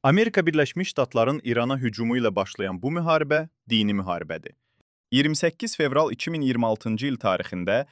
Amerika Birləşmiş Ştatların İrana hücumu ilə başlayan bu müharibə dini müharibədir. 28 fevral 2026-cı il tarixində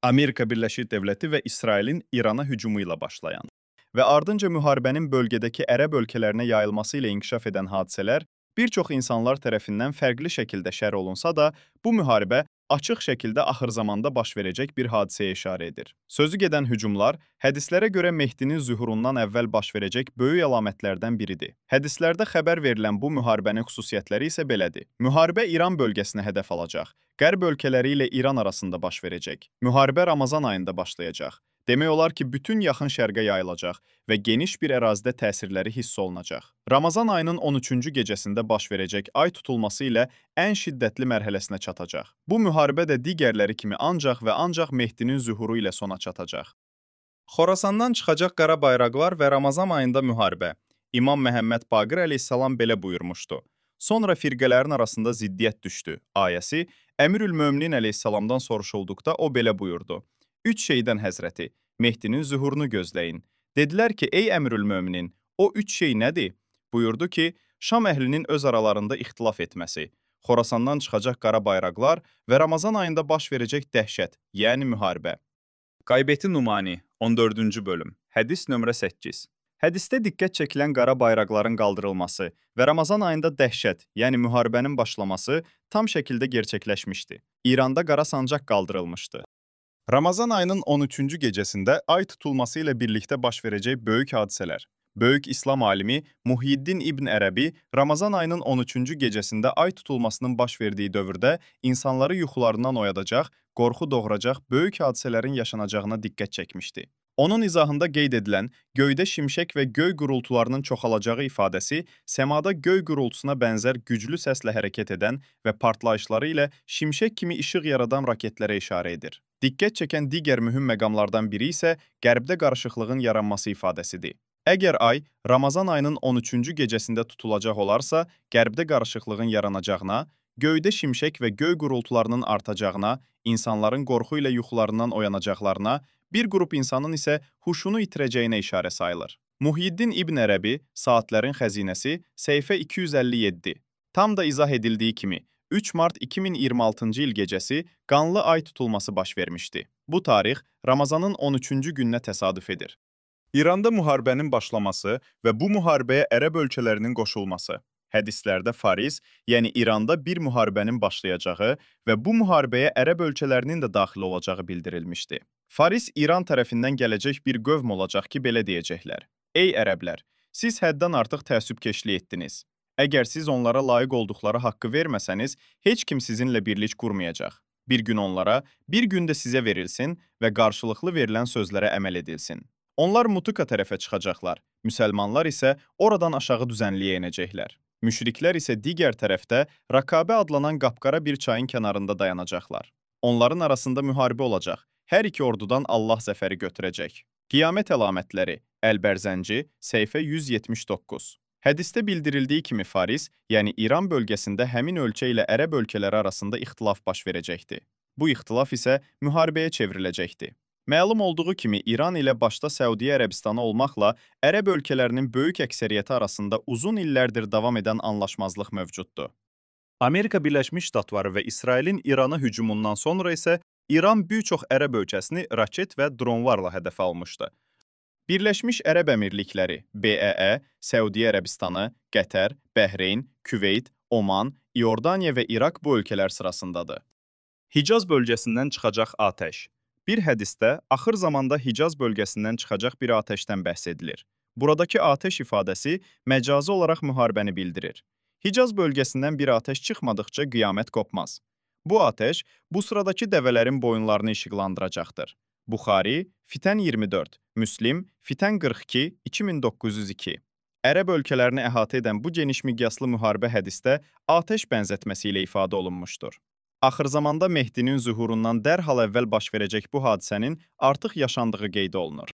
Amerika Birləşik Dövləti və İsrailin İrana hücumu ilə başlayan və ardınca müharibənin bölgədəki ərəb ölkələrinə yayılması ilə inkişaf edən hadisələr bir çox insanlar tərəfindən fərqli şəkildə şərh olunsa da, bu müharibə açıq şəkildə axır zamanda baş verəcək bir hadisəyə işarə edir. Sözü gedən hücumlar hədislərə görə Mehdinin zühurundan əvvəl baş verəcək böyük əlamətlərdən biridir. Hədislərdə xəbər verilən bu müharibənin xüsusiyyətləri isə belədir. Müharibə İran bölgəsinə hədəf alacaq. Qərb ölkələri ilə İran arasında baş verəcək. Müharibə Ramazan ayında başlayacaq. Demək olar ki, bütün yaxın şərqə yayılacaq və geniş bir ərazidə təsirləri hiss olunacaq. Ramazan ayının 13-cü gecəsində baş verəcək ay tutulması ilə ən şiddətli mərhələsinə çatacaq. Bu müharibə də digərləri kimi ancaq və ancaq Mehdinin zühuru ilə sona çatacaq. Xorasandan çıxacaq qara bayraqlar və Ramazan ayında müharibə. İmam Məhəmməd Baqir əleyhissalam belə buyurmuşdu. Sonra firqələrin arasında ziddiyyət düşdü. Ayəsi Əmirül-Möminin əleyhissalamdan soruşulduqda o belə buyurdu. Üç şeydən həzrəti, Mehdinin zühurunu gözləyin. Dedilər ki, ey Əmirül-Möminin, o üç şey nədir? Buyurdu ki, Şam əhlinin öz aralarında ixtilaf etməsi, Xorasandan çıxacaq qara bayraqlar və Ramazan ayında baş verəcək dəhşət, yəni müharibə. Qaybəti Numani, 14-cü bölüm, hədis nömrə 8. Hədisdə diqqət çəkilən qara bayraqların qaldırılması və Ramazan ayında dəhşət, yəni müharibənin başlaması tam şəkildə gerçəkləşmişdi. İranda qara sancaq qaldırılmışdı. Ramazan ayının 13-cü gecəsində ay tutulması ilə birlikdə baş verəcək böyük hadisələr. Böyük İslam alimi Muhyiddin İbn Ərəbi Ramazan ayının 13-cü gecəsində ay tutulmasının baş verdiyi dövrdə insanları yuxularından oyadacaq, qorxu doğuracaq böyük hadisələrin yaşanacağına diqqət çəkmişdi. Onun izahında qeyd edilən göydə şimşək və göy gurultularının çoxalacağı ifadəsi səmada göy gurultusuna bənzər güclü səslə hərəkət edən və partlayışları ilə şimşək kimi işıq yaradan raketlərə işarə edir. Diqqət çəkən digər mühüm məqamlardan biri isə qərbdə qarışıqlığın yaranması ifadəsidir. Əgər ay Ramazan ayının 13-cü gecəsində tutulacaq olarsa, qərbdə qarışıqlığın yaranacağına, göydə şimşək və göy gurultularının artacağına, insanların qorxu ilə yuxularından oyanacaqlarına, bir qrup insanın isə huşunu itirəcəyinə işarə sayılır. Muhyiddin İbn Ərəbi, Saatlərin xəzinəsi, səhifə 257. Tam da izah edildiyi kimi, 3 mart 2026-cı il gecəsi qanlı ay tutulması baş vermişdi. Bu tarix Ramazanın 13-cü gününə təsadüf edir. İranda müharibənin başlaması və bu müharibəyə ərəb ölkələrinin qoşulması. Hədislərdə Faris, yəni İranda bir müharibənin başlayacağı və bu müharibəyə ərəb ölkələrinin də daxil olacağı bildirilmişdi. Faris İran tərəfindən gələcək bir qövm olacaq ki, belə deyəcəklər. Ey ərəblər, siz həddən artıq təəssübkeşlik etdiniz. Əgər siz onlara layiq olduqları haqqı verməsəniz, heç kim sizinlə birlik qurmayacaq. Bir gün onlara, bir gün də sizə verilsin və qarşılıqlı verilən sözlərə əməl edilsin. Onlar Mutuka tərəfə çıxacaqlar, müsəlmanlar isə oradan aşağı düzənliyə enəcəklər. Müşriklər isə digər tərəfdə Raqabə adlanan qapqara bir çayın kənarında dayanacaqlar. Onların arasında müharibə olacaq, hər iki ordudan Allah zəfəri götürəcək. Qiyamət əlamətləri, Əlbərzənci, səhifə 179. Hədisdə bildirildiyi kimi Faris, yəni İran bölgəsində həmin ölkə ilə ərəb ölkələri arasında ixtilaf baş verəcəkdi. Bu ixtilaf isə müharibəyə çevriləcəkdi. Məlum olduğu kimi İran ilə başda Səudiyyə Ərəbistanı olmaqla ərəb ölkələrinin böyük əksəriyyəti arasında uzun illərdir davam edən anlaşmazlıq mövcuddur. Amerika Birləşmiş Ştatları və İsrailin İrana hücumundan sonra isə İran bir çox ərəb ölkəsini raket və dronlarla hədəf almışdı. Birləşmiş Ərəb Əmirlikləri, BEE, Səudiyyə Ərəbistanı, Qətər, Bəhreyn, Küveyt, Oman, İordaniya və İraq bu ölkələr sırasındadır. Hicaz bölgəsindən çıxacaq atəş. Bir hədisdə axır zamanda Hicaz bölgəsindən çıxacaq bir atəşdən bəhs edilir. Buradakı atəş ifadəsi məcazi olaraq müharibəni bildirir. Hicaz bölgəsindən bir atəş çıxmadıqca qiyamət qopmaz. Bu atəş bu sıradakı dəvələrin boyunlarını işıqlandıracaqdır. Buxari, Fitən 24, Müslim, Fitən 42, 2902. Ərəb ölkələrini əhatə edən bu geniş miqyaslı müharibə hədisdə atəş bənzətməsi ilə ifadə olunmuşdur. Axır zamanda Mehdinin zühurundan dərhal əvvəl baş verəcək bu hadisənin artıq yaşandığı qeyd olunur.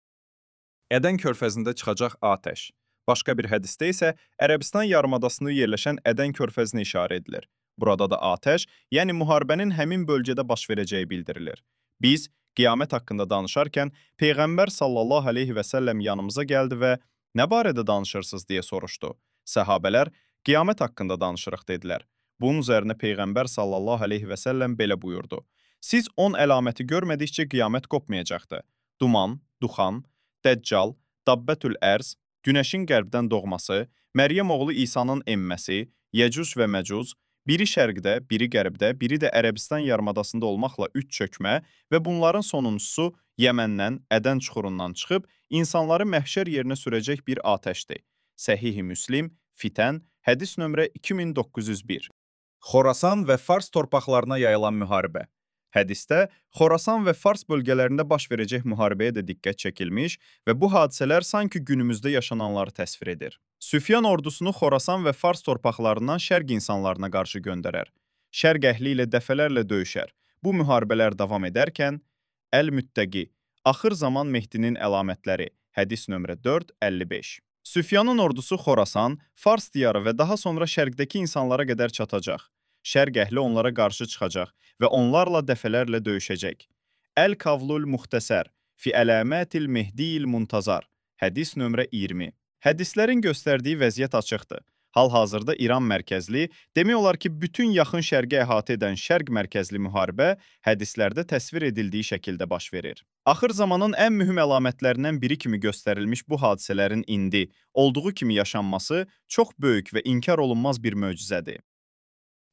Ədən körfəzində çıxacaq atəş. Başqa bir hədisdə isə Ərəbistan yarımadasında yerləşən Ədən körfəzinə işarə edilir. Burada da atəş, yəni müharibənin həmin bölgədə baş verəcəyi bildirilir. Biz qiyamət haqqında danışarkən Peyğəmbər sallallahu aleyhi və səlləm yanımıza gəldi və "Nə barədə danışırsınız?" deyə soruşdu. Səhabələr, "Qiyamət haqqında danışırıq" dedilər. Bunun üzərinə Peyğəmbər sallallahu əleyhi və səlləm belə buyurdu: "Siz 10 əlaməti görmədikcə qiyamət qopmayacaqdı. Duman, duxan, Dəccal, Dabbətül Ərz, günəşin qərbdən doğması, Məryəm oğlu İsa'nın enməsi, Yəcüc və Məcüc, biri şərqdə, biri qərbdə, biri də Ərəbistan yarımadasında olmaqla üç çökmə və bunların sonuncusu Yəməndən, Ədən çuxurundan çıxıb insanları məhşər yerinə sürəcək bir atəşdir." Səhih-i Müslim, Fitən, hədis nömrə 2901. Xorasan və Fars torpaqlarına yayılan müharibə. Hədisdə Xorasan və Fars bölgələrində baş verəcək müharibəyə də diqqət çəkilmiş və bu hadisələr sanki günümüzdə yaşananları təsvir edir. Süfyan ordusunu Xorasan və Fars torpaqlarından şərq insanlarına qarşı göndərər. Şərq əhli ilə dəfələrlə döyüşər. Bu müharibələr davam edərkən, Əl-Müttəqi, axır zaman Mehdinin əlamətləri, hədis nömrə 455. Süfyanın ordusu Xorasan, Fars diyarı və daha sonra şərqdəki insanlara qədər çatacaq. Şərq əhli onlara qarşı çıxacaq və onlarla dəfələrlə döyüşəcək. Əl-Kavlul Muxtəsər, fi Əlamətil Mehdiyil Muntazar, hədis nömrə 20. Hədislərin göstərdiyi vəziyyət açıqdır. Hal-hazırda İran mərkəzli, demək olar ki, bütün yaxın şərqi əhatə edən şərq mərkəzli müharibə hədislərdə təsvir edildiyi şəkildə baş verir. Axır zamanın ən mühüm əlamətlərindən biri kimi göstərilmiş bu hadisələrin indi, olduğu kimi yaşanması çox böyük və inkar olunmaz bir möcüzədir.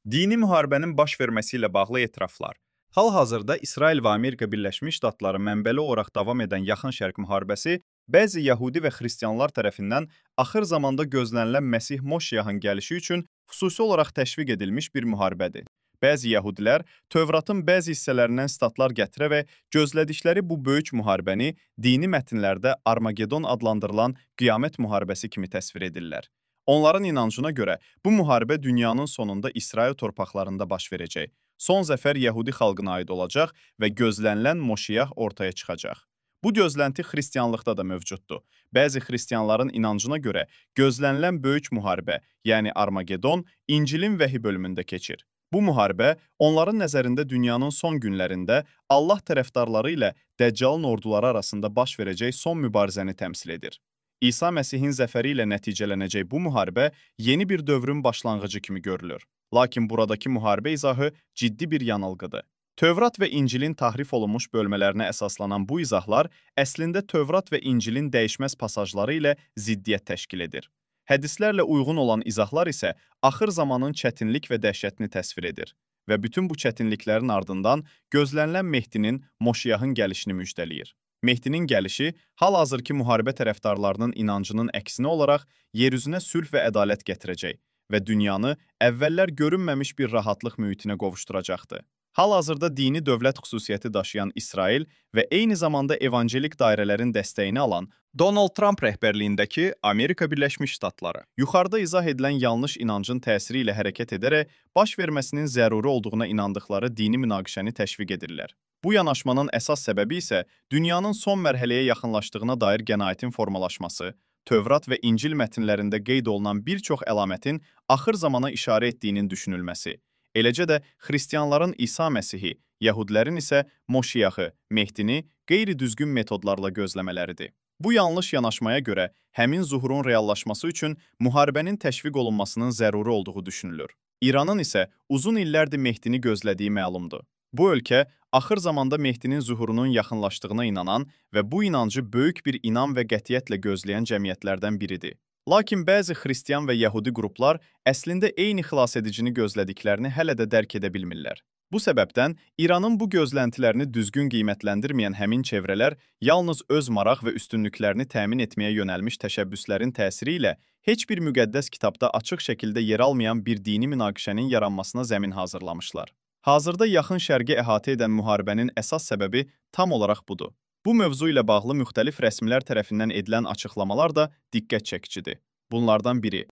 Dini müharibənin baş verməsi ilə bağlı etiraflar. Hal-hazırda İsrail və Amerika Birləşmiş Ştatları mənbəli olaraq davam edən Yaxın Şərq müharibəsi bəzi Yəhudi və Xristianlar tərəfindən axır zamanda gözlənilən Məsih Moşiyahın gəlişi üçün xüsusi olaraq təşviq edilmiş bir müharibədir. Bəzi Yəhudilər Tövratın bəzi hissələrindən statlar gətirərək gözlədikləri bu böyük müharibəni dini mətnlərdə Armagedon adlandırılan qiyamət müharibəsi kimi təsvir edirlər. Onların inancına görə bu müharibə dünyanın sonunda İsrail torpaqlarında baş verəcək. Son zəfər Yəhudi xalqına aid olacaq və gözlənilən Moşiyah ortaya çıxacaq. Bu gözlənti xristianlıqda da mövcuddur. Bəzi xristianların inancına görə gözlənilən böyük müharibə, yəni Armagedon, İncilin vəhi bölümündə keçir. Bu müharibə onların nəzərində dünyanın son günlərində Allah tərəfdarları ilə Dəccalın orduları arasında baş verəcək son mübarizəni təmsil edir. İsa Məsihin zəfəri ilə nəticələnəcək bu müharibə yeni bir dövrün başlanğıcı kimi görülür. Lakin buradakı müharibə izahı ciddi bir yanılğıdır. Tövrat və İncilin tahrif olunmuş bölmələrinə əsaslanan bu izahlar əslində Tövrat və İncilin dəyişməz pasajları ilə ziddiyyət təşkil edir. Hədislərlə uyğun olan izahlar isə axır zamanın çətinlik və dəhşətini təsvir edir və bütün bu çətinliklərin ardından gözlənilən Mehdinin, Moşiyahın gəlişini müjdələyir. Mehdinin gəlişi hal-hazırki müharibə tərəfdarlarının inancının əksinə olaraq yeryüzünə sülh və ədalət gətirəcək və dünyanı əvvəllər görünməmiş bir rahatlıq mühitinə qovuşduracaqdır. Hal-hazırda dini dövlət xüsusiyyəti daşıyan İsrail və eyni zamanda evangelik dairələrin dəstəyini alan Donald Trump rəhbərliyindəki Amerika Birləşmiş Ştatları yuxarıda izah edilən yanlış inancın təsiri ilə hərəkət edərək baş verməsinin zəruri olduğuna inandıqları dini münaqişəni təşviq edirlər. Bu yanaşmanın əsas səbəbi isə dünyanın son mərhələyə yaxınlaşdığına dair qənaətin formalaşması, Tövrat və İncil mətnlərində qeyd olunan bir çox əlamətin axır zamana işarə etdiyinin düşünülməsi, eləcə də xristianların İsa Məsihi, yəhudilərin isə Moşiyahı, Mehdini qeyri-düzgün metodlarla gözləmələridir. Bu yanlış yanaşmaya görə həmin zuhurun reallaşması üçün müharibənin təşviq olunmasının zəruri olduğu düşünülür. İranın isə uzun illərdir Mehdini gözlədiyi məlumdur. Bu ölkə axır zamanda Mehdinin zuhurunun yaxınlaşdığına inanan və bu inancı böyük bir inam və qətiyyətlə gözləyən cəmiyyətlərdən biridir. Lakin bəzi xristian və yəhudi qruplar əslində eyni xilasedicini gözlədiklərini hələ də dərk edə bilmirlər. Bu səbəbdən İranın bu gözləntilərini düzgün qiymətləndirməyən həmin çevrələr yalnız öz maraq və üstünlüklərini təmin etməyə yönəlmiş təşəbbüslərin təsiri ilə heç bir müqəddəs kitabda açıq şəkildə yer almayan bir dini münaqişənin yaranmasına zəmin hazırlamışlar. Hazırda Yaxın Şərqi əhatə edən müharibənin əsas səbəbi tam olaraq budur. Bu mövzu ilə bağlı müxtəlif rəsmilər tərəfindən edilən açıqlamalar da diqqət çəkicidir. Bunlardan biri.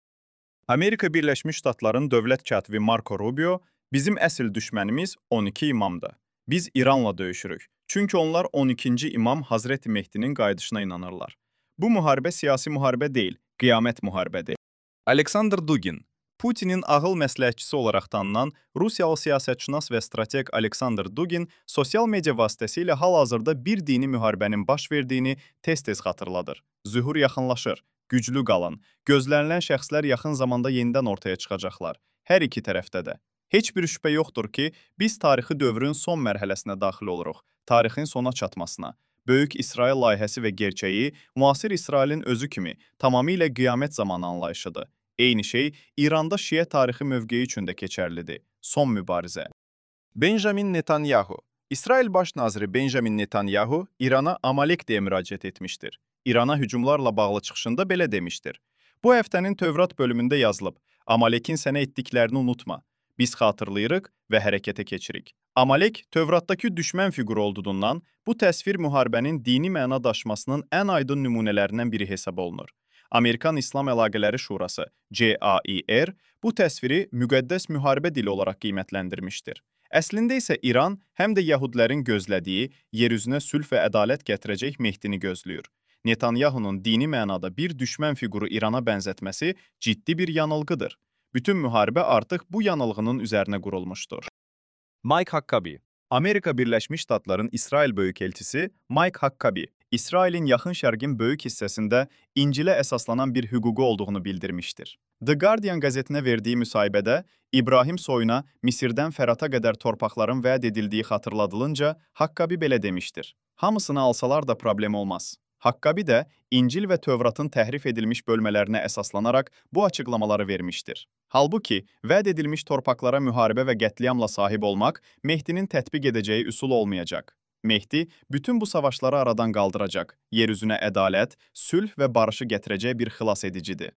Amerika Birləşmiş Ştatlarının dövlət katibi Marco Rubio, bizim əsl düşmənimiz 12 imamdır. Biz İranla döyüşürük. Çünki onlar 12-ci imam Hazreti Mehdinin qayıdışına inanırlar. Bu müharibə siyasi müharibə deyil, qiyamət müharibədir. Aleksandr Dugin, Putinin ağıl məsləhətçisi olaraq tanınan Rusiyalı siyasətşünas və strateq Aleksandr Dugin sosial media vasitəsilə hal-hazırda bir dini müharibənin baş verdiyini tez-tez xatırladır. Zühur yaxınlaşır, güclü qalın. Gözlənilən şəxslər yaxın zamanda yenidən ortaya çıxacaqlar. Hər iki tərəfdə də. Heç bir şübhə yoxdur ki, biz tarixi dövrün son mərhələsinə daxil oluruq, tarixin sona çatmasına. Böyük İsrail layihəsi və gerçəyi müasir İsrailin özü kimi tamamilə qiyamət zamanı anlayışıdır. Eyni şey İranda Şiə tarixi mövqeyi üçün də keçərlidir. Son mübarizə. Benjamin Netanyahu. İsrail Baş naziri Benjamin Netanyahu İrana Amalek deyə müraciət etmişdir. İrana hücumlarla bağlı çıxışında belə demişdir. Bu həftənin Tövrat bölümündə yazılıb, Amalekin sənə etdiklərini unutma. Biz xatırlayırıq və hərəkətə keçirik. Amalek, Tövratdakı düşmən fiquru olduğundan, bu təsvir müharibənin dini məna daşımasının ən aydın nümunələrindən biri hesab olunur. Amerikan İslam Əlaqələri Şurası, CAIR, bu təsviri müqəddəs müharibə dili olaraq qiymətləndirmişdir. Əslində isə İran həm də yəhudilərin gözlədiyi, yeryüzünə sülh və ədalət gətirəcək Mehdini gözləyir. Netanyahunun dini mənada bir düşmən fiquru İrana bənzətməsi ciddi bir yanılğıdır. Bütün müharibə artıq bu yanılğının üzərinə qurulmuşdur. Mike Huckabee. Amerika Birləşmiş Ştatların İsrail Böyükelçisi Mike Huckabee, İsrailin Yaxın Şərqin böyük hissəsində İncilə əsaslanan bir hüququ olduğunu bildirmişdir. The Guardian qəzetinə verdiyi müsahibədə İbrahim soyuna Misirdən Fərata qədər torpaqların vəd edildiyi xatırladılınca Huckabee belə demişdir. Hamısını alsalar da problem olmaz. Huckabee də İncil və Tövratın təhrif edilmiş bölmələrinə əsaslanaraq bu açıqlamaları vermişdir. Halbuki, vəd edilmiş torpaqlara müharibə və qətliamla sahib olmaq Mehdinin tətbiq edəcəyi üsul olmayacaq. Mehdi bütün bu savaşları aradan qaldıracaq, yeryüzünə ədalət, sülh və barışı gətirəcək bir xilas edicidir.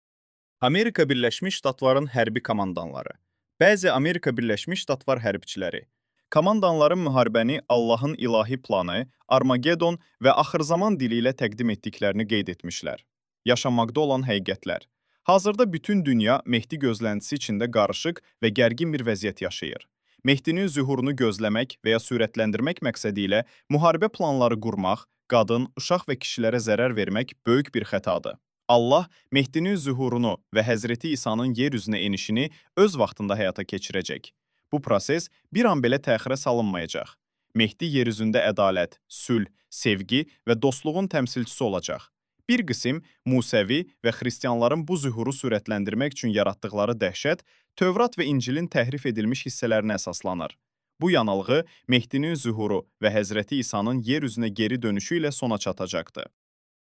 Amerika Birləşmiş Ştatların hərbi komandanları. Bəzi Amerika Birləşmiş Ştatlar hərbçiləri. Komandanların müharibəni Allahın ilahi planı, Armagedon və axırzaman dili ilə təqdim etdiklərini qeyd etmişlər. Yaşanmaqda olan həqiqətlər. Hazırda bütün dünya Mehdi gözləntisi içində qarışıq və gərgin bir vəziyyət yaşayır. Mehdinin zühurunu gözləmək və ya sürətləndirmək məqsədi ilə müharibə planları qurmaq, qadın, uşaq və kişilərə zərər vermək böyük bir xətadır. Allah Mehdinin zühurunu və Həzreti İsa'nın yer üzünə enişini öz vaxtında həyata keçirəcək. Bu proses bir an belə təxirə salınmayacaq. Mehdi yer üzündə ədalət, sülh, sevgi və dostluğun təmsilçisi olacaq. Bir qism Musəvi və xristianların bu zühuru sürətləndirmək üçün yaratdıqları dəhşət Tövrat və İncilin təhrif edilmiş hissələrinə əsaslanır. Bu yanılğı Mehdinin zühuru və Həzreti İsa'nın yer üzünə geri dönüşü ilə sona çatacaqdır.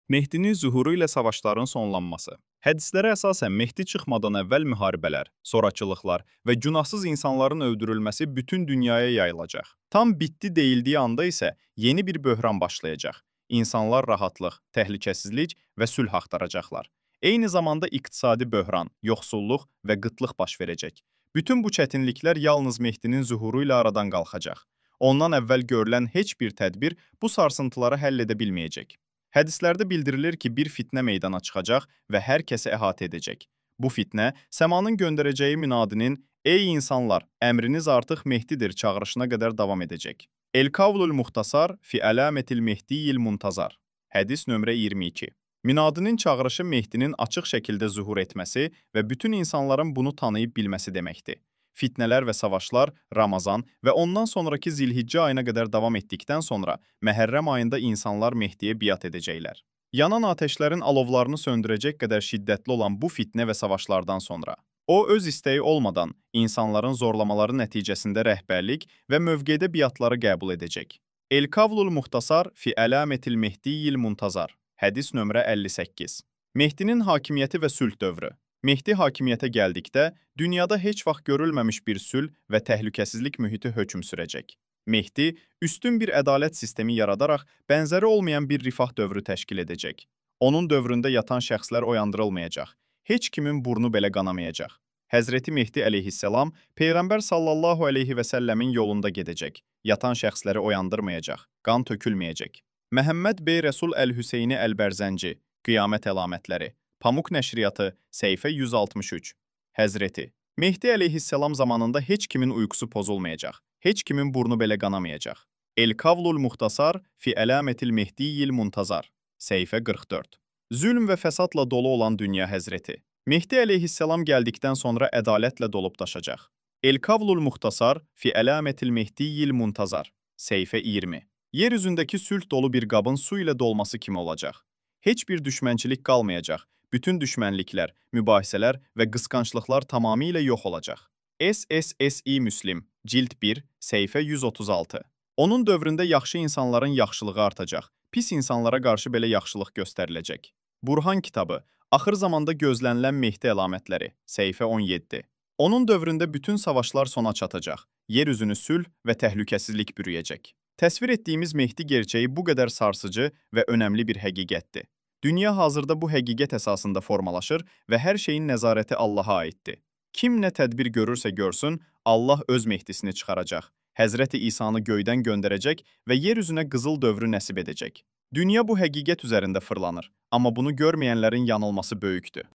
Mehdinin zühuru ilə savaşların sonlanması. Hədislərə əsasən Mehdi çıxmadan əvvəl müharibələr, zorakılıqlar və günahsız insanların öldürülməsi bütün dünyaya yayılacaq. Tam bitdi deyildiyi anda isə yeni bir böhran başlayacaq. İnsanlar rahatlıq, təhlükəsizlik və sülh axtaracaqlar. Eyni zamanda iqtisadi böhran, yoxsulluq və qıtlıq baş verəcək. Bütün bu çətinliklər yalnız Mehdinin zühuru ilə aradan qalxacaq. Ondan əvvəl görülən heç bir tədbir bu sarsıntıları həll edə bilməyəcək. Hədislərdə bildirilir ki, bir fitnə meydana çıxacaq və hər kəsi əhatə edəcək. Bu fitnə, səmanın göndərəcəyi münadinin "Ey insanlar, əmriniz artıq Mehdidir" çağırışına qədər davam edəcək. El-Kavlul Muxtasar fi Əlamətil Mehdiyil Muntazar. Hədis nömrə 22. Münadinin çağırışı Mehdinin açıq şəkildə zuhur etməsi və bütün insanların bunu tanıyıb bilməsi deməkdir. Fitnələr və savaşlar Ramazan və ondan sonraki Zilhiccə ayına qədər davam etdikdən sonra Məhərrəm ayında insanlar Mehdiyə biat edəcəklər. Yanan atəşlərin alovlarını söndürəcək qədər şiddətli olan bu fitnə və savaşlardan sonra o, öz istəyi olmadan insanların zorlamaları nəticəsində rəhbərlik və mövqedə biatları qəbul edəcək. El-Kavlul Muxtasar fi Əlamətil Mehdiyil Muntazar. Hədis nömrə 58. Mehdinin hakimiyyəti və sülh dövrü. Mehdi hakimiyyətə gəldikdə, dünyada heç vaxt görülməmiş bir sülh və təhlükəsizlik mühiti hökm sürəcək. Mehdi, üstün bir ədalət sistemi yaradaraq bənzəri olmayan bir rifah dövrü təşkil edəcək. Onun dövründə yatan şəxslər oyandırılmayacaq. Heç kimin burnu belə qanamayacaq. Həzreti Mehdi əleyhissalam Peyğəmbər sallallahu əleyhi və səlləmin yolunda gedəcək. Yatan şəxsləri oyandırmayacaq, qan tökülməyəcək. Məhəmməd bəy Rəsul Əl-Hüseyni Əl-Bərzənci, Qiyamət əlamətləri, Pamuk nəşriyyatı, səhifə 163. Həzreti Mehdi əleyhissalam zamanında heç kimin uyqusu pozulmayacaq, heç kimin burnu belə qanamayacaq. El-Kavlul Muxtasar fi Əlamətil Mehdiyil Muntazar, səhifə 44. Zülm və fəsadla dolu olan dünya həzreti. Mehdi əleyhissalam gəldikdən sonra ədalətlə dolub daşacaq. El-Kavlul Muxtasar fi Əlamətil Mehdiyil Muntazar, səhifə 20. Yer üzündəki sülh dolu bir qabın su ilə dolması kimi olacaq. Heç bir düşmənçilik qalmayacaq, bütün düşmənliklər, mübahisələr və qısqanclıqlar tamamilə yox olacaq. SSSİ Müslim, cild 1, səhifə 136. Onun dövründə yaxşı insanların yaxşılığı artacaq, pis insanlara qarşı belə yaxşılıq göstəriləcək. Burhan kitabı, axır zamanda gözlənilən Mehdi əlamətləri, səhifə 17. Onun dövründə bütün savaşlar sona çatacaq, yer üzünü sülh və təhlükəsizlik bürüyəcək. Təsvir etdiyimiz Mehdi gerçəyi bu qədər sarsıcı və önəmli bir həqiqətdir. Dünya hazırda bu həqiqət əsasında formalaşır və hər şeyin nəzarəti Allaha aiddir. Kim nə tədbir görürsə görsün, Allah öz Mehdisini çıxaracaq. Həzrəti İsanı göydən göndərəcək və yer üzünə qızıl dövrü nəsib edəcək. Dünya bu həqiqət üzərində fırlanır, amma bunu görməyənlərin yanılması böyükdür.